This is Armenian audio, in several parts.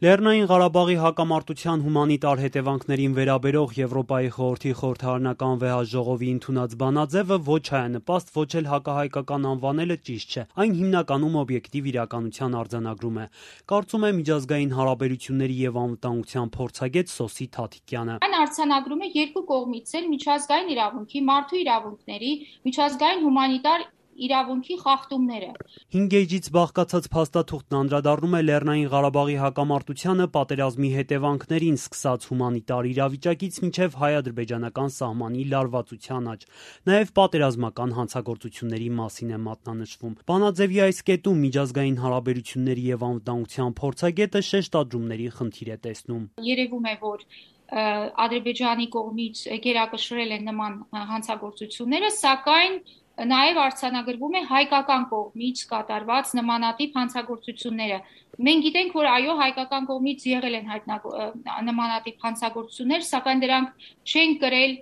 Լեռնային Ղարաբաղի հակամարտության հումանիտար հետևանքներին վերաբերող Եվրոպայի խորհրդի խորհրդարանական վեհաժողովի ընդունած բանաձևը ոչ հայանպաստ, ոչ էլ հակահայկական անվանելը ճիշտ չէ։ Այն հիմնականում օբյեկտիվ իրականության արձանագրում է, կարծում է միջազգային հարաբերությունների եւ անվտանգության փորձագետ Սոսի Թաթիկյանը։ Այն արձանագրում է երկու կողմից էլ միջազգային իրավունքի, մարդու իրավունքների, միջազգային հումանիտար իրավունքի խախտումները։ 5 էջից բաղկացած փաստաթուղթն անդրադառնում է Լեռնային Ղարաբաղի հակամարտությանը, պատերազմի հետևանքներին, սկսած հումանիտար իրավիճակից մինչև հայ-ադրբեջանական սահմանի լարվածության աճ։ Նաև պատերազմական հանցագործությունների մասին է մատնանշվում։ Բանաձևի այս կետում միջազգային հարաբերությունների եւ անվտանգության փորձագետը շեշտադրումների խնդիր է տեսնում։ Երևում է, որ Ադրբեջանի կողմից գերակշռել են նման հանցագործությունները, սակայն նաև արձանագրվում է հայկական կողմից կատարված նմանատիպ հանցագործությունները։ Մենք գիտենք, որ այո, հայկական կողմից եղել են նմանատիպ հանցագործություններ, սակայն դրանք չեն կրել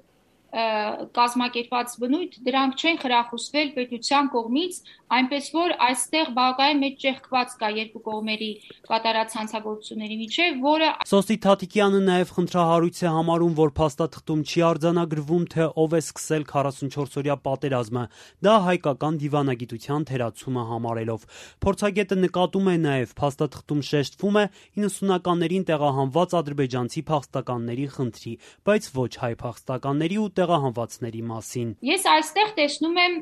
կազմակերպված բնույթ, դրանք չեն խրախուսվել պետության կողմից, այնպես որ այստեղ բավականին մեծ ճեղքված կա երկու կողմերի կատարած հանցագործությունների միջև, որը Սոսի Թաթիկյանը նաև խնդրահարույց է համարում, որ փաստաթղթում չի արձանագրվում, թե ով է սկսել 44-օրյա պատերազմը, դա հայկական դիվանագիտության թերացումը համարելով։ Փորձագետը նկատում է նաև, փաստաթղթում շեշտվում է 90-ականներին տեղահանված ադրբեջանցի փախստականների խնդրի, բայց ոչ հայ փախստականների ու տեղահանվածների մասին։ Ես այստեղ տեսնում եմ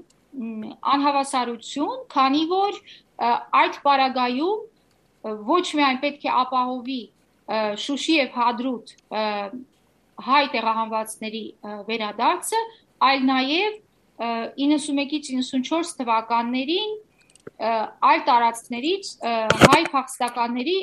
անհավասարություն, քանի որ այդ պարագայում ոչ միայն պետք է ապահովի Շուշի եւ Հադրութ հայ տեղահանվածների վերադարձը, այլ նաև 91-ից 94 թվականներին այլ տարածքներից հայ փախստականների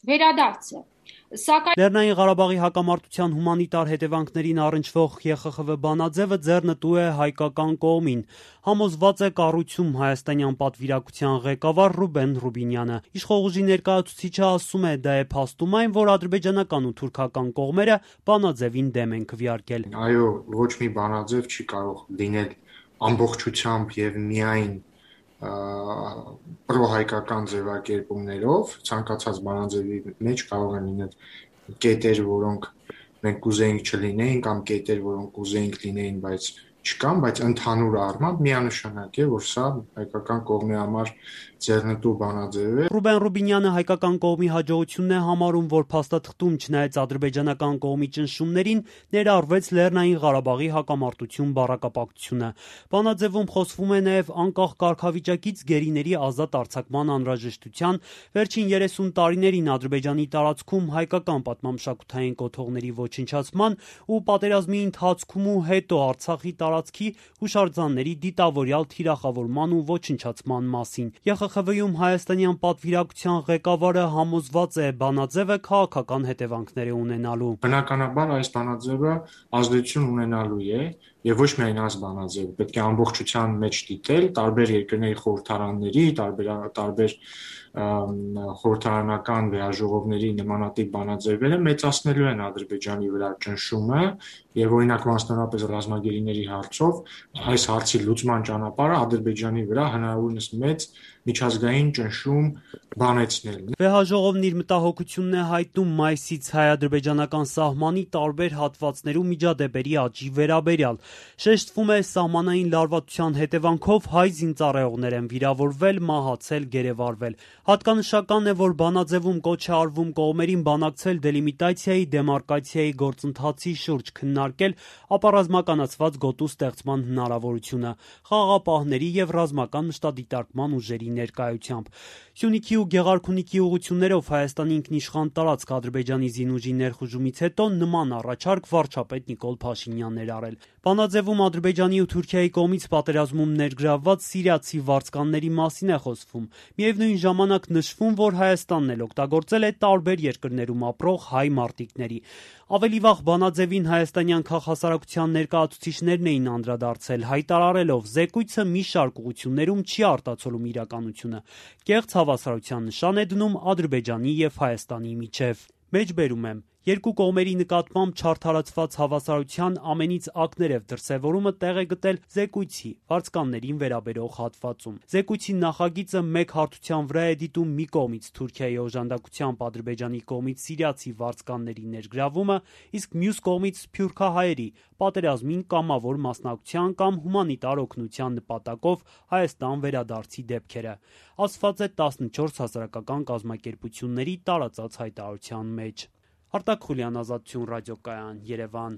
վերադարձը։ Լեռնային Ղարաբաղի հակամարտության հումանիտար հետևանքներին առնչվող ԵԽԽՎ բանաձևը ձեռնտու է հայկական կողմին, համոզված է կառույցում հայաստանյան պատվիրակության ղեկավար Ռուբեն Ռուբինյանը։ Իշխող ուժի ներկայացուցիչը ասում է, դա է փաստում այն, որ ադրբեջանական ու թուրքական կողմերը բանաձևին դեմ են քվեարկել։ Այո, ոչ մի բանաձև չի կարող լինել ամբողջությամբ եւ միայն պրոհայկական ձևակերպումներով, ցանկացած բանաձևի մեջ կարող են լինել կետեր, որոնք մենք կուզեինք չլինեին, կամ կետեր, որոնք կուզեինք լինեին, բայց չկան, բայց ընդհանուր առմամբ միանշանակ է, որ սա հայկական կողմի համար ձեռնտու բանաձև է։ Ռուբեն Ռուբինյանը հայկական կողմի հաջողությունն է համարում, որ փաստաթղթում չնայած ադրբեջանական կողմի ճնշումներին ներառվեց Լեռնային Ղարաբաղի հակամարտություն բառակապակցությունը։ Բանաձևում խոսվում է նաև անկախ կարգավիճակից գերիների ազատ արձակման անհրաժեշտության, վերջին 30 տարիներին Ադրբեջանի տարածքում հայկական պատմամշակութային կոթողների ոչնչացման ու պատերազմի ընթացքում ու հետո Արցախի տարածքի հուշարձանների դիտավորյալ թիրախավորման ու ոչնչացման մասին։ ԵԽԽՎ-ում հայաստանյան պատվիրակության ղեկավարը համոզված է, բանաձևը քաղաքական հետևանքներ է ունենալու։ Բնականաբար այս բանաձևը ազդեցություն ունենալու է եւ ոչ միայն այս բանաձևը, պետք է ամբողջության մեջ դիտել տարբեր երկրների խորհրդարանների, տարբեր խորհրդարանական վեհաժողովների նմանատիպ բանաձևերը մեծացնելու են Ադրբեջանի վրա ճնշումը եւ օրինակ մասնավորապես ռազմագերիների հարցով այս հարցի լուծման ճանապարհը Ադրբեջանի վրա հնարավորինս մեծ միջազգային ճնշում բանեցնելն է։ Վեհաժողովն իր մտահոգությունն է հայտնում մայիսից հայ-ադրբեջանական սահմանի տարբեր հատվածներում միջադեպերի աճի վերաբերյալ։ Շեշտվում է, սահմանային լարվածության հետևանքով հայ զինծառայողներ են վիրավորվել, մահացել, գերեվարվել։ Հատկանշական է, որ բանաձևում կոչ է արվում կողմերին բանակցել դելիմիտացիայի, դեմարկացիայի գործընթացի շուրջ, քննարկել ապառազմականացված գոտու ստեղծման հնարավորությունը, խաղաղապահների եւ ռազմական մշտադիտարկման ուժերի ներկայությամբ։ Սյունիքի ու Գեղարքունիքի ուղղություններով Հայաստանի ինքնիշխան տարածք Ադրբեջանի զինուժի ներխուժումից հետո նման առաջարկ վարչապետ Նիկոլ Փաշինյանն էր արել։ Բանաձևում Ադրբեջանի ու Թուրքիայի կողմից պատերազմում ներգրավված սիրիացի վարձկանների մասին է խոսվում։ Միևնույն ժամանակ նշվում, որ Հայաստանն էլ օգտագործել է տարբեր երկրներում ապրող հայ մարտիկների։ Ավելի վաղ բանաձևին հայաստանյան քաղաքասարակության ներկայացուցիչներն էին անդրադարձել, հայտարարելով զեկույցը մի շարք ուղղություններում չի արտացոլում իրականությունը։ Կեղծ հավասարության նշան է դնում Ադրբեջանի եւ Հայաստանի միջև։ Մեջբերում եմ, Երկու կողմերի նկատմամբ չարդարացված հավասարության ամենից ակներև դրսևորումը տեղ է գտել զեկույցի վարձկաններին վերաբերող հատվածում։ Զեկույցի նախագիծը մեկ հարթության վրա է դիտում մի կողմից Թուրքիայի օժանդակությամբ Ադրբեջանի կողմից սիրիացի վարձկանների ներգրավումը, իսկ մյուս կողմից սփյուռքահայերի պատերազմին կամավոր մասնակցության կամ հումանիտար օգնության նպատակով Հայաստան վերադարձի դեպքերը, ասված է 14 հասարակական կազմակերպությունների տարածած հայտարարության մեջ։ Արտակ Խուլյան, Ազատություն ռադիոկայան, Երևան։